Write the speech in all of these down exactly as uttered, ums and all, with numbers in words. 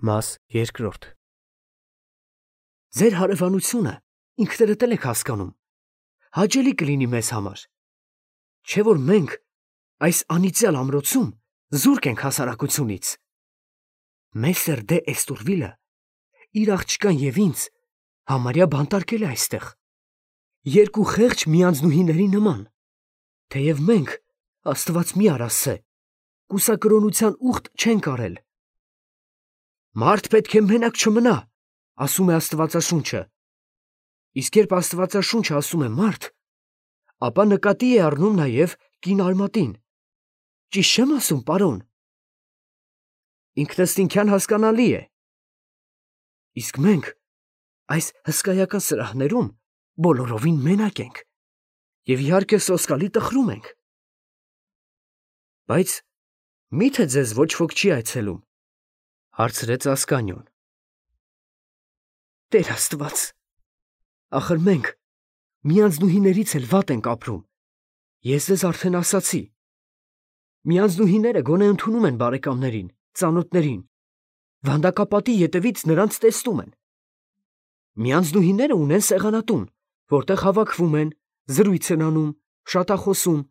Մաս երկրորդ Ձեր հարևանությունը ինքներդ էլ եք հասկանում, հաճելի կլինի մեզ համար, չէ՞ որ մենք այս անիծյալ ամրոցում զուրկ ենք հասարակությունից։ Մեսեր դե Էստուրվիլը իր աղջկան և ինձ համարյա բանտարկել է այստեղ, երկու խեղճ միանձնուհիների նման, թեև մենք, Աստված մի արասցե, կուսակրոնության ուխտ չենք արել։ Մարդ պետք է մենակ չմնա, ասում է Աստվածաշունչը, իսկ երբ Աստվածաշունչը ասում է մարդ, ապա նկատի է առնում նաև կին արմատին, ճիշտ չեմ ասում, պարոն։ Ինքնըստինքյան հասկանալի է, իսկ մենք այս հսկայական սրահներում բոլորովին մենակ ենք և իհարկե սոսկալի տխրում ենք։ Բայց մի՞թե ձեզ ոչ ոք չի այցելում, հարցրեց Ասկանիոն։ Տեր Աստված, ախր մենք միանձնուհիներից էլ վատ ենք ապրում, ես ձեզ արդեն ասացի։ Միանձնուհիները գոնե ընդունում են բարեկամներին, ծանոթներին, վանդակապատի ետևից նրանց տեսնում են։ Միանձնուհիները ունեն սեղանատուն, որտեղ հավաքվում են, զրույց են անում, շատախոսում։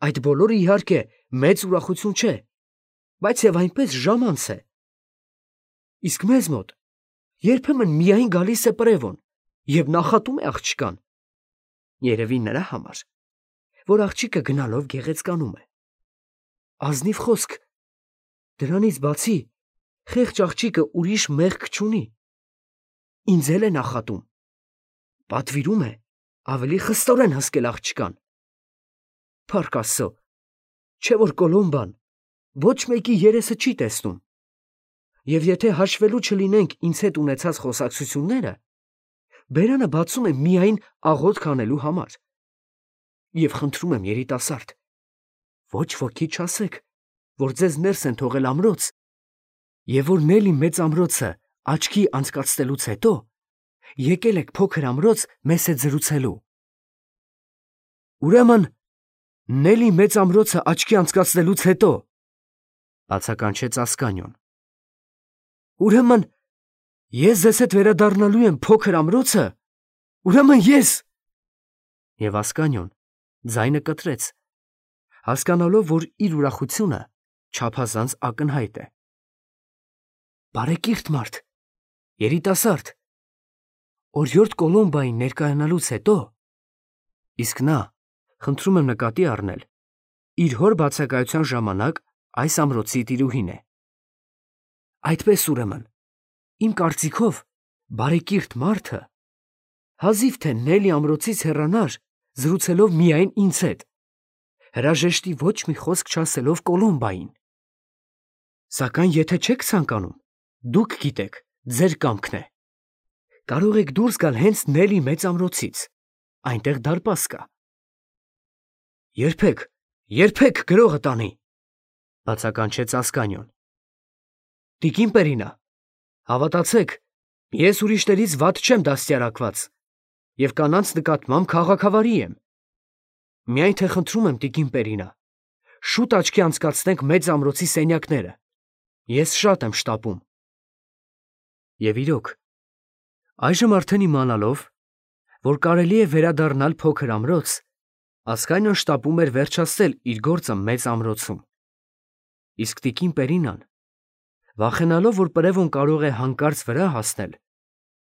Այդ բոլորը իհարկե մեծ ուրախություն չէ, բայց և այնպես ժամանց է։ Իսկ մեզ մոտ երբեմն միայն գալիս է պրևոն և նախատում է աղջկան, երևի նրա համար, որ աղջիկը գնալով գեղեցկանում է։ Ազնիվ խոսք, դրանից բացի խեղճ աղջիկը ուրիշ մեղք չունի, ինձ էլ է նախատում, պատվիրում է ավելի խստորեն հսկել աղջկան։ Փառք Աստծո, չէ որ Կոլոմբան ոչ մեկի երեսը չի տեսնում, և եթե հաշվելու չլինենք ինձ հետ ունեցած խոսակցությունները, բերանը բացում է միայն աղոթք անելու համար։ Եվ խնդրում եմ, երիտասարդ, ոչ ոքի չասեք, որ ձեզ ներս են թողել ամրոց, և որ Նելի մեծ ամրոցը աչքի անցկացնելուց հետո եկել եք փոքր ամրոց մեզ հետ զրուցելու։ Ուրեմն Նելի մեծ ամրոցը աչքի անցկացնելուց հետո, բացականչեց Ասկանիոն, ուրեմն ես ձեզ հետ վերադառնալու եմ փոքր ամրոցը, ուրեմն ես… Եվ Ասկանիոն ձայնը կտրեց, հասկանալով, որ իր ուրախությունը չափազանց ակնհայտ է։ Բարեկիրթ մարդ, երիտասարդ, օրիորդ Կոլոմբային ներկայանալուց հետո, իսկ նա, խնդրում եմ նկատի առնել, իր հոր բացակայության ժամանակ այս ամրոցի տիրուհին է։ Այդպես ուրեմն, իմ կարծիքով, բարեկիրթ մարդը հազիվ թե Նելի ամրոցից հեռանար, զրուցելով միայն ինձ հետ, հրաժեշտի ոչ մի խոսք չասելով Կոլոմբային։ Սակայն եթե չեք ցանկանում, դուք գիտեք, ձեր կամքն է։ Կարող եք դուրս գալ հենց Նելի մեծ ամրոցից, այնտեղ դարպաս կա։ Երբեք, երբեք գրողը տանի, բացականչեց Ասկանիոն։ Տիկին Պերինա, հավատացեք, ես ուրիշներից վատ չեմ դաստիարակված և կանանց նկատմամբ քաղաքավարի եմ։ Միայն թե խնդրում եմ, տիկին Պերինա, շուտ աչքի անցկացնենք մեծ ամրոցի սենյակները, ես շատ եմ շտապում։ Եվ իրոք, այժմ արդեն իմանալով, որ կարելի է վերադառնալ փոքր ամրոց, Ասկանիոն շտապում էր վերջացնել իր գործը մեծ ամրոցում։ Իսկ տիկին Պերինան, վախենալով, որ պրևոն կարող է հանկարծ վրա հասնել,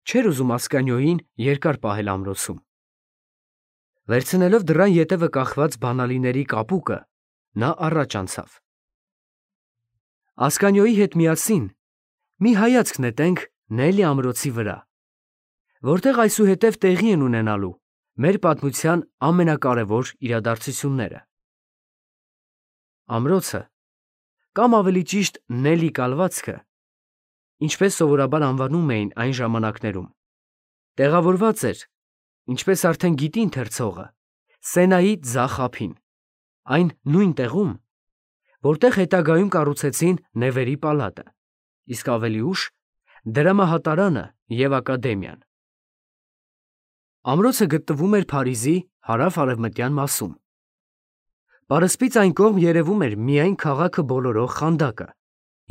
չէր ուզում Ասկանիոյին երկար պահել ամրոցում։ Վերցնելով դռան ետևը կախված բանալիների կապուկը, նա առաջ անցավ։ Ասկանիոյի հետ միասին մի հայացք նետենք Նելի ամրոցի վրա, որտեղ այսուհետև տեղի են ունենալու մեր պատմության ամենակարևոր իրադարձությունները։ Ամրոցը, կամ ավելի ճիշտ Նելի կալվածքը, ինչպես սովորաբար անվանում էին այն ժամանակներում, տեղավորված էր, ինչպես արդեն գիտի ընթերցողը, Սենայի ձախ ափին, այն նույն տեղում, որտեղ հետագայում կառուցեցին Նևերի պալատը, իսկ ավելի ուշ դրամահատարանը և ակադեմիան։ Ամրոցը գտնվում էր Փարիզի հարավ-արևմտյան մասում։ Պարսպից այն կողմ երևում էր միայն քաղաքը բոլորող խանդակը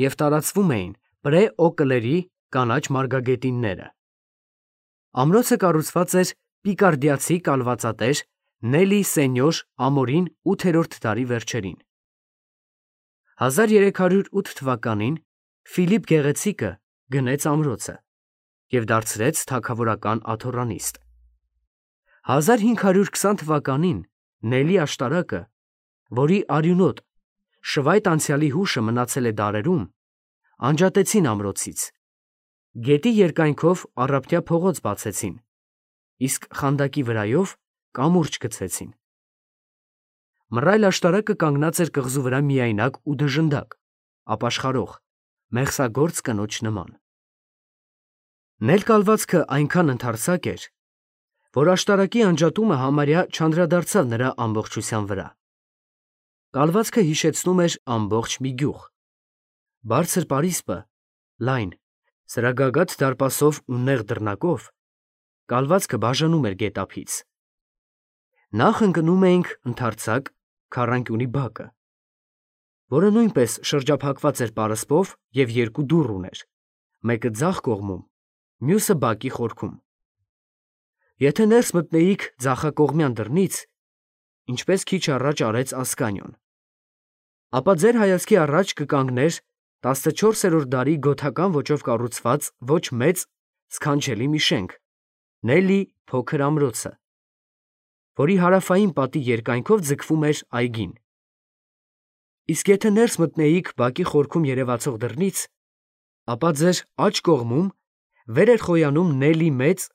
և տարածվում էին Պրեօկլերի կանաչ մարգագետինները։ Ամրոցը կառուցված էր պիկարդիացի կալվածատեր Նելի Սենյոր Ամորին ութերորդ դարի վերջերին։ հազար երեք հարյուր ութ թվականին Ֆիլիպ Գեղեցիկը գնեց ամրոցը և դարձրեց թագավորական աթոռանիստ։ հազար հինգ հարյուր քսան թվականին Նելի աշտարակը, որի արյունոտ շվայտ անցյալի հուշը մնացել է դարերում, անջատեցին ամրոցից, գետի երկայնքով առափնյա փողոց բացեցին, իսկ խանդակի վրայով կամուրջ գցեցին։ Մռայլ աշտարակը կանգնած էր կղզու վրա միայնակ ու դժնդակ, ապաշխարող, մեղսագործ կնոջ նման։ Նել կալվածքը այնքան ընդարձակ էր, որ աշտարակի անջատումը համարյա չանդրադարձավ նրա ամբողջության վրա։ Կալվածքը հիշեցնում էր ամբողջ մի գյուղ։ Բարձր պարիսպը, լայն, սրագագաթ դարպասով ու նեղ դռնակով, կալվածքը բաժանում էր գետափից։ Նախ ընկնում էինք ընդարձակ քառանկյունի բակը, որը նույնպես շրջափակված էր պարսպով և երկու դուռ ուներ, մեկը ձախ կողմում, մյուսը բակի խորքում։ Եթե ներս մտնեիք ձախակողմյան դռնից, ինչպես քիչ առաջ արեց Ասկանիոն, ապա ձեր հայացքի առաջ կկանգներ տասնչորսերորդ դարի գոթական ոճով կառուցված ոչ մեծ, սքանչելի մի շենք՝ Նելի փոքր ամրոցը, որի հարավային պատի երկայնքով ձգվում էր այգին։ Իսկ եթե ներս մտնեիք բակի խորքում երևացող դռնից, ապա ձեր աջ կողմում վեր էր խոյանում Նելի մեծ,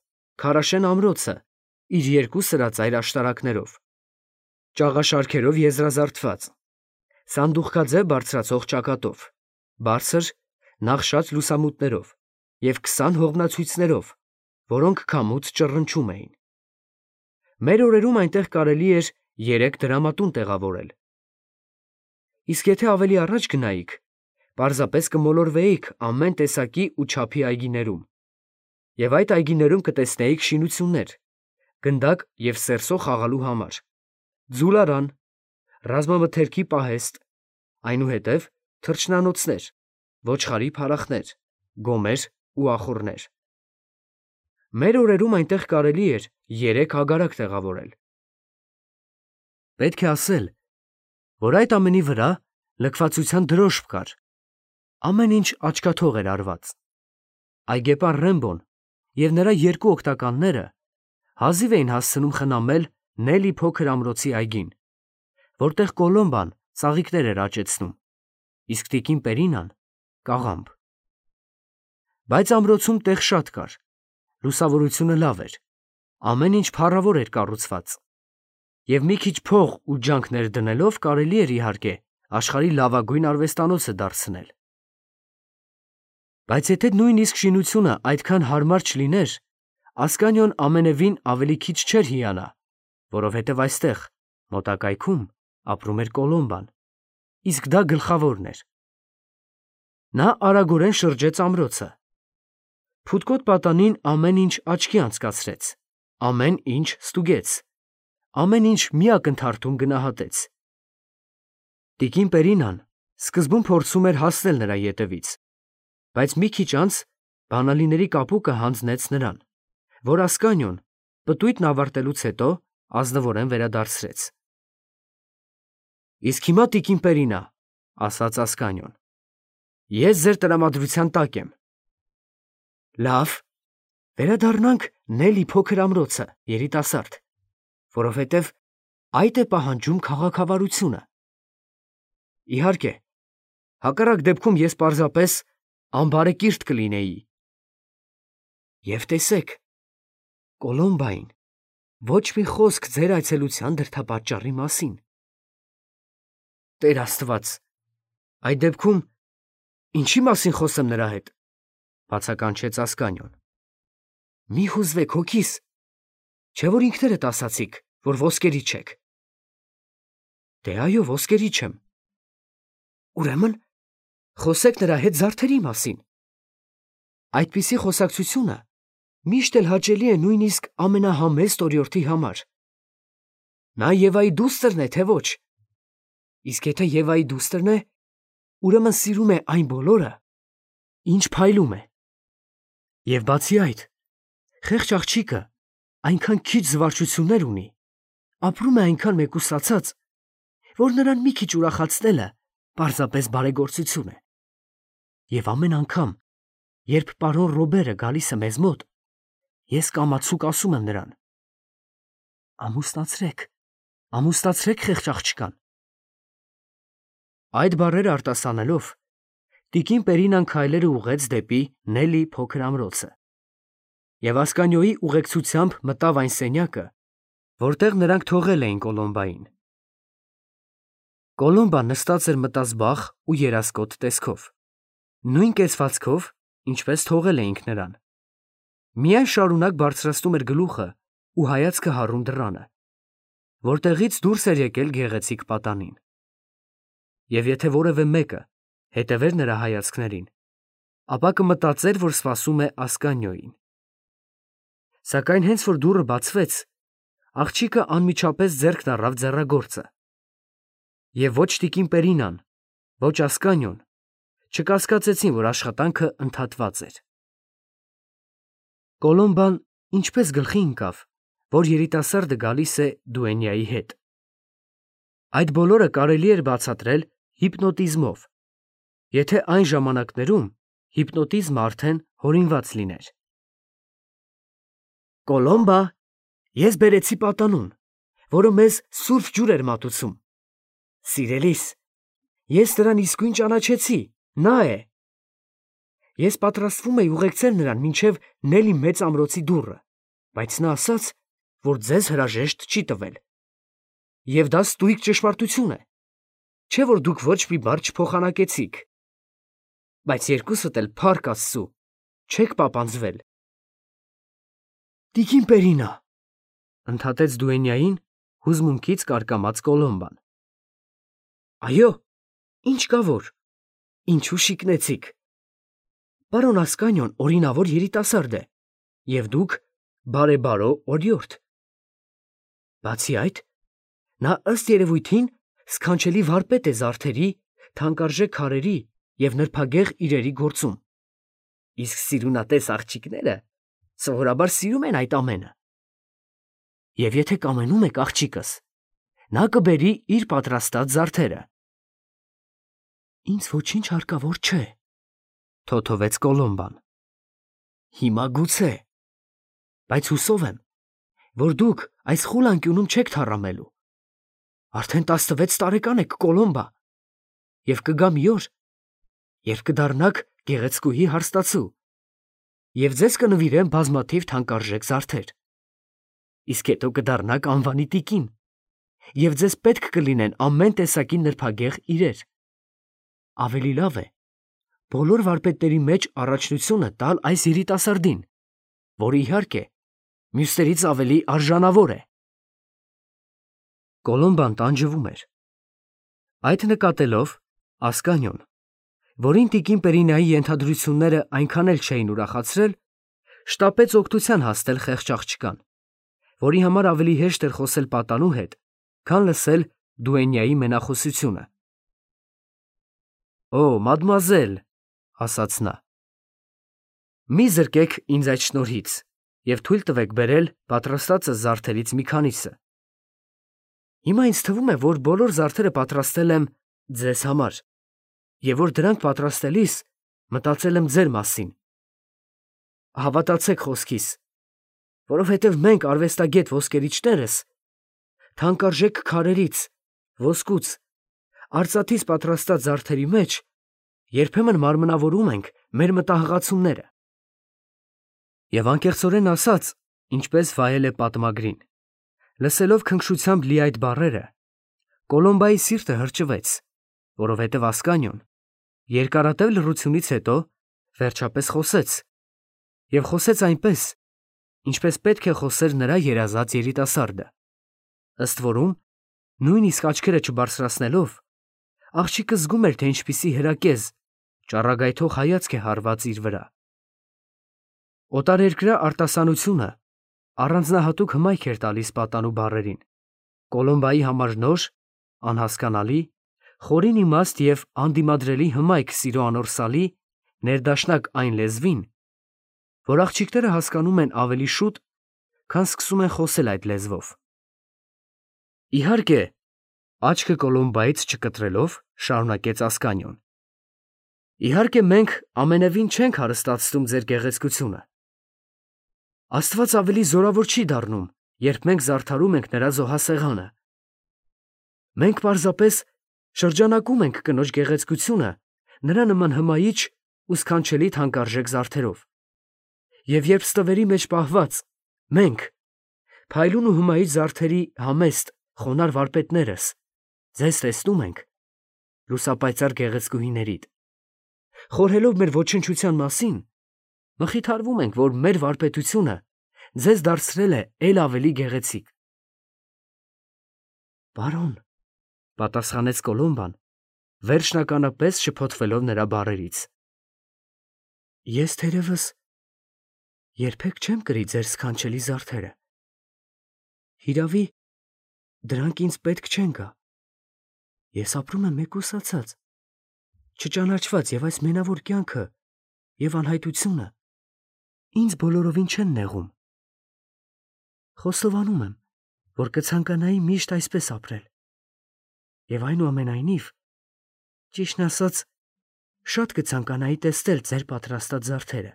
քարաշեն ամրոցը իր երկու սրածայր աշտարակներով, ճաղաշարքերով եզրազարդված, սանդուղքաձև բարձրացող ճակատով, բարձր, նախշած լուսամուտներով և քսան հողմնացույցներով, որոնք քամուց ճռնչում էին։ Մեր օրերում այնտեղ կարելի էր երեք դրամատուն տեղավորել։ Իսկ եթե ավելի առաջ գնայիք, պարզապես կմոլորվեիք ամեն տեսակի ու չափի այգիներում, և այդ այգիներում կտեսնեիք շինություններ, գնդակ և սերսո խաղալու համար, ձուլարան, ռազմամթերքի պահեստ, այնուհետև թռչնանոցներ, ոչխարի փարախներ, գոմեր ու ախոռներ։ Մեր օրերում այնտեղ կարելի էր երեք ագարակ տեղավորել։ Պետք է ասել, որ այդ ամենի վրա լքվածության դրոշմ կար, ամեն ինչ աչքաթող էր արված։ Այգեպան Ռեմբոն և նրա երկու օգնականները հազիվ էին հասցնում խնամել Նելի փոքր ամրոցի այգին, որտեղ Կոլոմբան ծաղիկներ էր աճեցնում, իսկ տիկին Պերինան՝ կաղամբ։ Բայց ամրոցում տեղ շատ կար, լուսավորությունը լավ էր, ամեն ինչ փառավոր էր կառուցված, և մի քիչ փող ու ջանք ներդնելով կարելի էր, իհարկե, աշխարհի լավագույն արվեստանոցը դարձնել։ Բայց եթե նույնիսկ շինությունը այդքան հարմար չլիներ, Ասկանիոն ամենևին ավելի քիչ չէր հիանա, որովհետև այստեղ, մոտակայքում, ապրում էր Կոլոմբան, իսկ դա գլխավորն էր։ Նա արագորեն շրջեց ամրոցը։ Փութկոտ պատանին ամեն ինչ աչքի անցկացրեց, ամեն ինչ ստուգեց, ամեն ինչ մի ակնթարթում գնահատեց։ Տիկին Պերինան սկզբում փորձում էր հասնել նրա ետևից, բայց մի քիչ անց բանալիների կապուկը հանձնեց նրան, որ Ասկանիոն պտույտն ավարտելուց հետո ազնվորեն վերադարձրեց։ Իսկ հիմա, տիկին Պերինա, ասաց Ասկանիոն, ես ձեր տրամադրության տակ եմ։ Լավ, վերադառնանք Նելի փոքր ամրոցը, երիտասարդ, որովհետև այդ է պահանջում քաղաքավարությունը։ Իհարկե, հակառակ դեպքում ես պարզապես անբարեկիրթ կլինեի։ Եվ տեսեք, Կոլոմբային ոչ մի խոսք ձեր այցելության դրդապատճառի մասին։ Տեր Աստված, այդ դեպքում ինչի մասին խոսեմ նրա հետ, բացականչեց Ասկանիոն։ Մի հուզվեք, հոգիս, չէ՞ որ ինքներդ ասացիք, որ ոսկերի չեք։ Դե այո, ոսկերի չեմ։ Ուրեմն խոսեք նրա հետ զարդերի մասին։ Այդպիսի խոսակցությունը միշտ էլ հաճելի է նույնիսկ ամենահամեստ օրիորդի համար։ Նա Եվայի դուստրն է, թե ոչ։ Իսկ եթե Եվայի դուստրն է, ուրեմն սիրում է այն բոլորը, Ինչ փայլում է։ Եվ բացի այդ, խեղճ աղջիկը այնքան քիչ զվարճություններ ունի, ապրում է այնքան մեկուսացած, որ նրան մի քիչ ուրախացնելը պարզապես բարեգործություն է։ Եվ ամեն անգամ, երբ պարոն Ռոբերը գալիս է մեզ մոտ, ես կամացուկ ասում եմ նրան. «Ամուսնացրեք, ամուսնացրեք խեղճ աղջկան»։ Այդ բառերը արտասանելով, տիկին Պերինան քայլերը ուղղեց դեպի Նելի փոքր ամրոցը և Ասկանիոյի ուղեկցությամբ մտավ այն սենյակը, որտեղ նրանք թողել էին Կոլոմբային։ Կոլոմբան նստած էր մտազբաղ ու երասկոտ տեսքով, նույն կեցվածքով, ինչպես թողել էինք նրան։ Միայն շարունակ բարձրացնում էր գլուխը ու հայացքը հառում դռանը, որտեղից դուրս էր եկել գեղեցիկ պատանին։ Եվ եթե որևէ մեկը հետևեր նրա հայացքներին, ապա կմտածեր, որ սպասում է Ասկանիոյին։ Սակայն հենց որ դուռը բացվեց, աղջիկը անմիջապես ձեռքն առավ ձեռագործը, և ոչ տիկին Պերինան, ոչ Ասկանիոն չկասկածեցին, որ աշխատանքը ընդհատված էր։ Կոլոմբան ինչպես գլխի ընկավ, որ երիտասարդը գալիս է դուենյայի հետ։ Այդ բոլորը կարելի էր բացատրել հիպնոտիզմով, եթե այն ժամանակներում հիպնոտիզմը արդեն հորինված լիներ։ Կոլոմբա, ես բերեցի պատանուն, որը մեզ սուրբ ջուր էր մատուցում։ Սիրելիս, ես նրան իսկույն ճանաչեցի, նա է։ Ես պատրաստվում էի ուղեկցել նրան մինչև Նելի մեծ ամրոցի դուռը, բայց նա ասաց, որ ձեզ հրաժեշտ չի տվել։ Եվ դա ստույգ ճշմարտություն է, չէ՞ որ դուք ոչ մի բառ չփոխանակեցիք։ Բայց երկուսդ էլ, փառք Աստծու, չեք պապանձվել։ Տիկին Պերինա, ընդհատեց դուենյային հուզմունքից կարկամած Կոլոմբան։ Այո, ինչ կա որ, ինչու շիկնեցիք։ Պարոն Ասկանիոն օրինավոր երիտասարդ է, և դուք բարեբարո օրիորդ։ Բացի այդ, նա ըստ երևույթին սքանչելի վարպետ է զարդերի, թանկարժեք քարերի և նրբագեղ իրերի գործում, իսկ սիրունատես աղջիկները սովորաբար սիրում են այդ ամենը։ Եվ եթե կամենում եք աղջիկս, նա կբերի իր պատրաստած զարդերը։ Ինձ ոչինչ հարկավոր չէ, թոթովեց Կոլոմբան։ Հիմա գուցե, բայց հուսով եմ, որ դուք այս խուլ անկյունում չեք թառամելու։ Արդեն տասնվեց տարեկան եք, Կոլոմբա, և կգա մի օր, երբ կդառնաք գեղեցկուհի հարստացու, և ձեզ կնվիրեմ բազմաթիվ թանկարժեք զարդեր։ Իսկ հետո կդառնաք անվանի տիկին, և ձեզ պետք կլինեն ամեն տեսակի նրբագեղ իրեր։ Ավելի լավ է բոլոր վարպետների մեջ առաջնությունը տալ այս երիտասարդին, որը, իհարկե, մյուսներից ավելի արժանավոր է։ Կոլոմբան տանջվում էր։ Այդ նկատելով Ասկանիոն, որին տիկին Պերինայի ենթադրությունները այնքան էլ չէին ուրախացրել, շտապեց օգնության հասնել խեղճ աղջկան, որի համար ավելի հեշտ էր խոսել պատանու հետ, քան լսել դուենյայի մենախոսությունը։ Օ, մադմուազել, ասաց նա, մի զրկեք ինձ այդ շնորհից և թույլ տվեք բերել պատրաստածս զարդերից մի քանիսը։ Հիմա ինձ թվում է, որ բոլոր զարդերը պատրաստել եմ ձեզ համար, և որ դրանք պատրաստելիս մտածել եմ ձեր մասին։ Հավատացեք խոսքիս, որովհետև մենք արվեստագետ ոսկերիչներս թանկարժեք քարերից, ոսկուց, արծաթից պատրաստած զարդերի մեջ երբեմն մարմնավորում ենք մեր մտահղացումները։ Եվ անկեղծորեն ասած, ինչպես վայել է պատմագրին, լսելով քնքշությամբ լի այդ բառերը, Կոլոմբայի սիրտը հրճվեց, որովհետև Ասկանիոն երկարատև լռությունից հետո վերջապես խոսեց, և խոսեց այնպես, ինչպես պետք է խոսեր նրա երազած երիտասարդը։ Ըստ որում, նույնիսկ աչքերը չբարձրացնելով, աղջիկը զգում էր, թե ինչպիսի հրակեզ, ճառագայթող հայացք է հարված իր վրա։ Օտարերկրյա արտասանությունը առանձնահատուկ հմայք էր տալիս պատանու բառերին, Կոլոմբայի համար նոր, անհասկանալի, խորին իմաստ և անդիմադրելի հմայք սիրո անորսալի ներդաշնակ այն լեզվին, որ աղջիկները հասկանում են ավելի շուտ, քան սկսում են խոսել այդ լեզվով։ Իհարկե, աչքը Կոլոմբայից չկտրելով, շարունակեց Ասկանիոն։ Իհարկե, մենք ամենևին չենք հարստացնում ձեր գեղեցկությունը։ Աստված ավելի զորավոր չի դառնում, երբ մենք զարդարում ենք նրա զոհասեղանը։ Մենք պարզապես շրջանակում ենք կնոջ գեղեցկությունը նրա նման հմայիչ ու սքանչելի թանկարժեք զարդերով։ Եվ երբ ստվերի մեջ պահված, մենք, փայլուն ու հմայիչ զարդերի համեստ, խոնար վարպետներս, ձեզ տեսնում ենք, լուսապայծառ գեղեցկուհիներիդ, խորհելով մեր ոչնչության մասին, մխիթարվում ենք, որ մեր վարպետությունը ձեզ դարձրել է էլ ավելի գեղեցիկ։ Բարոն, պատասխանեց Կոլոմբան, վերջնականապես շփոթվելով նրա բառերից։ Ես թերևս երբեք չեմ կրի ձեր սքանչելի զարդերը։ Հիրավի, դրանք ինձ պետք չեն գա։ Ես ապրում եմ մեկուսացած, չճանաչված և այս մենավոր կյանքը և անհայտությունը ինձ բոլորովին չեն նեղում։ Խոստովանում եմ, որ կցանկանայի միշտ այսպես ապրել։ Եվ այնուամենայնիվ, ճիշտն ասած, շատ կցանկանայի տեսնել ձեր պատրաստած զարդերը։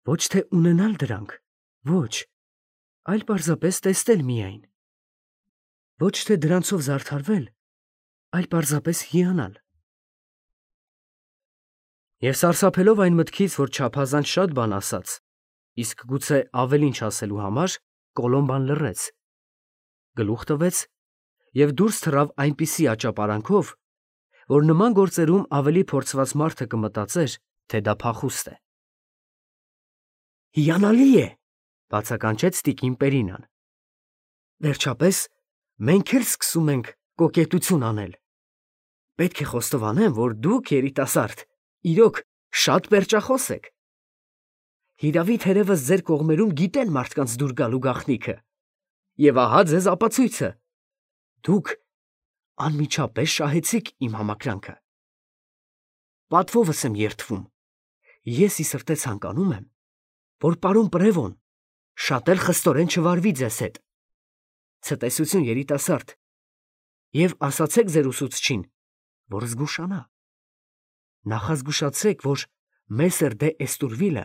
Ոչ թե ունենալ դրանք, ոչ, այլ պարզապես տեսնել միայն։ Ոչ թե դրանցով զարդարվել, այլ պարզապես հիանալ։ Եվ սարսափելով այն մտքից, որ չափազանց շատ բան ասաց, իսկ գուցե ավելին չասելու համար, Կոլոմբան լռեց, գլուխ տվեց և դուրս թռավ այնպիսի աճապարանքով, որ նման գործերում ավելի փորձված մարդը կմտածեր, թե դա փախուստ է։ Հիանալի է, բացականչեց տիկին Պերինան։ Վերջապես, մենք էլ սկսում ենք կոկետություն անել։ Պետք է խոստովանեմ, որ դուք, երիտասարդ, իրոք շատ պերճախոս եք։ Հիրավի թերևս ձեր կողմերում գիտեն մարդկանց դուր գալու գաղտնիքը։ Եվ ահա ձեզ ապացույցը. դուք անմիջապես շահեցիք իմ համակրանքը։ Պատվովս եմ երդվում։ Ես ի սրտե ցանկանում եմ, որ պարոն Պրևոն շատ էլ խստորեն չվարվի ձեզ հետ։ Ցտեսություն, երիտասարդ, և ասացեք ձեր ուսուցչին, որ զգուշանա։ Նախազգուշացեք, որ Մեսեր դե Էստուրվիլը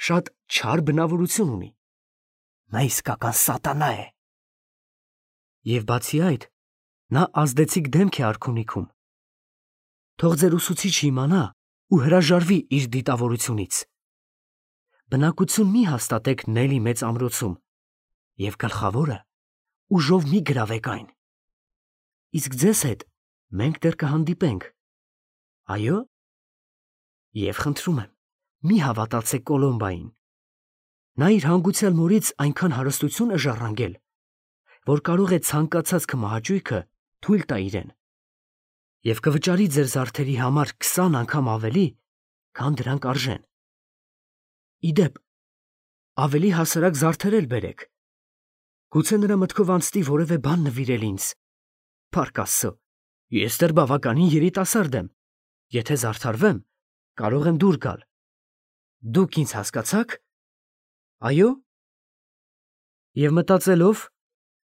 շատ չար բնավորություն ունի։ Նա իսկական սատանա է։ Եվ բացի այդ, նա ազդեցիկ դեմք է արքունիքում։ Թող ձեր ուսուցիչը իմանա ու հրաժարվի իր դիտավորությունից։ Բնակություն մի հաստատեք Նելի մեծ ամրոցում, և գլխավորը ուժով մի գրավեք այն։ Իսկ ձեզ հետ մենք դեռ կհանդիպենք։ Այո՞։ Եվ խնդրում եմ, մի հավատացեք Կոլոմբային։ Նա իր հանգուցյալ մորից այնքան հարստություն է ժառանգել, որ կարող է ցանկացած քմահաճույքը թույլ տա իրեն, և կվճարի ձեր զարդերի համար քսան անգամ ավելի, քան դրանք արժեն։ Ի դեպ, ավելի հասարակ զարդեր էլ բերեք։ Գուցե նրա մտքով անցնի որևէ բան նվիրել ինձ։ Փառք Աստծո, ես դեռ բավականին երիտասարդ եմ։ Եթե զարդարվեմ, կարող եմ դուր գալ։ Դուք ինձ հասկացա՞ք։ Այո։ Եվ մտածելով,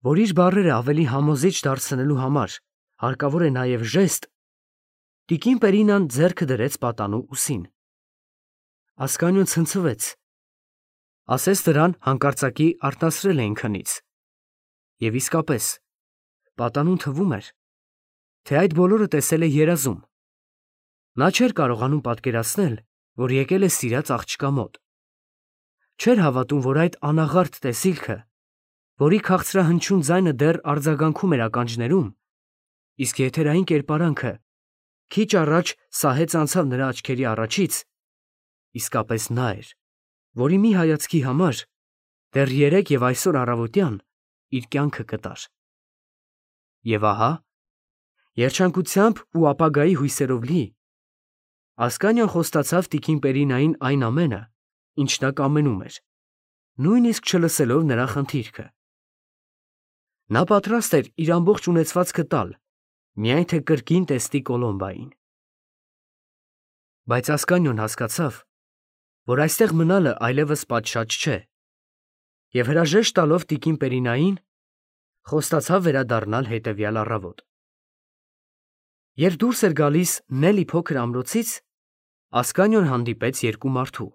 որ իր բառերը ավելի համոզիչ դարձնելու համար հարկավոր է նաև ժեստ, տիկին Պերինան ձեռքը դրեց պատանու ուսին։ Ասկանիոն ցնցվեց։ Ասես դրան հանկարծակի արտասրել էին քնից։ Եվ իսկապես, պատանուն թվում էր, թե այդ բոլորը տեսել է երազում։ Նա չէր կարողանում պատկերացնել, որ եկել է սիրած աղջկա մոտ։ Չէր հավատում, որ այդ անաղարտ տեսիլքը, որի քաղցրահնչյուն ձայնը դեռ արձագանքում էր ականջներում, իսկ եթերային կերպարանքը քիչ առաջ սահեց անցավ նրա աչքերի առաջից, իսկապես նա էր, որի մի հայացքի համար դեռ երեկ և այսօր առավոտյան իր կյանքը կտար։ Եվ ահա, երջանկությամբ ու ապագայի հույսերով լի, Ասկանիոն խոստացավ տիկին Պերինային այն ամենը, ինչ նա կամենում էր, նույնիսկ չլսելով նրա խնդիրքը։ Նա պատրաստ էր իր ամբողջ ունեցվածքը տալ, միայն թե կրկին տեսնի Կոլոմբային։ Բայց Ասկանյոն հասկացավ, որ այստեղ մնալը այլևս պատշաճ չէ, և հրաժեշտ տալով տիկին Պերինային, խոստացավ վերադառնալ հետևյալ առավոտ։ Երբ դուրս էր գալիս Նելի փոքր ամրոցից, Ասկանյոն հանդիպեց երկու մարդու։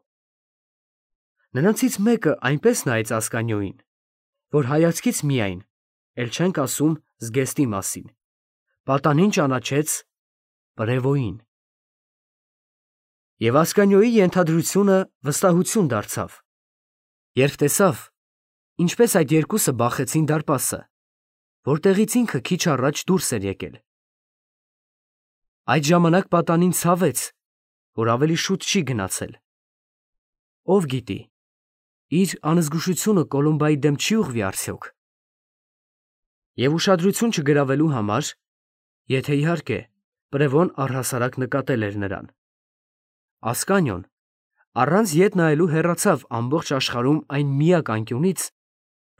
Նրանցից մեկը այնպես նայեց Ասկանյոյին, որ հայացքից միայն, էլ չենք ասում զգեստի մասին, պատանին ճանաչեց Պրևոյին։ Եվ Ասկանյոյի ենթադրությունը վստահություն դարձավ, երբ տեսավ, ինչպես այդ երկուսը բախեցին դարպասը, որտեղից ինքը քիչ առաջ դուրս էր եկել։ Այդ ժամանակ պատանին ցավեց, որ ավելի շուտ չի գնացել։ Ով գիտի, իր անզգուշությունը Կոլումբայի դեմ չի ուղղվի արդյոք։ Եվ ուշադրություն չգրավելու համար, եթե իհարկե Պրևոն առհասարակ նկատել էր նրան, Ասկանյոն առանց ետ նայելու հեռացավ ամբողջ աշխարհում այն միակ անկյունից,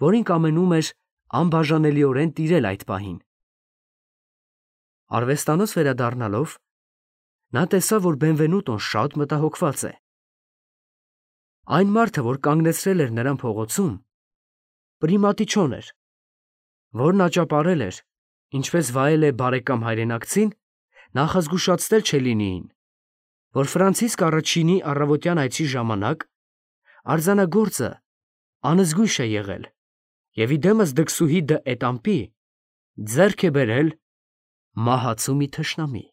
որին կամենում էր անբաժանելիորեն տիրել այդ պահին։ Արվեստանոց վերադառնալով, նա տեսավ, որ Բենվենուտոն շատ մտահոգված է։ Այն մարդը, որ կանգնեցրել էր նրան փողոցում, Պրիմատիչոն էր, որն աճապարել էր, ինչպես վայել է բարեկամ հայրենակցին, նախազգուշացնել Չելլինիին, որ Ֆրանցիսկ առաջինի առավոտյան այցի ժամանակ արձանագործը անզգույշ է եղել և իդեմս դքսուհի դը Էտամպի ձեռք է բերել մահացու մի թշնամի։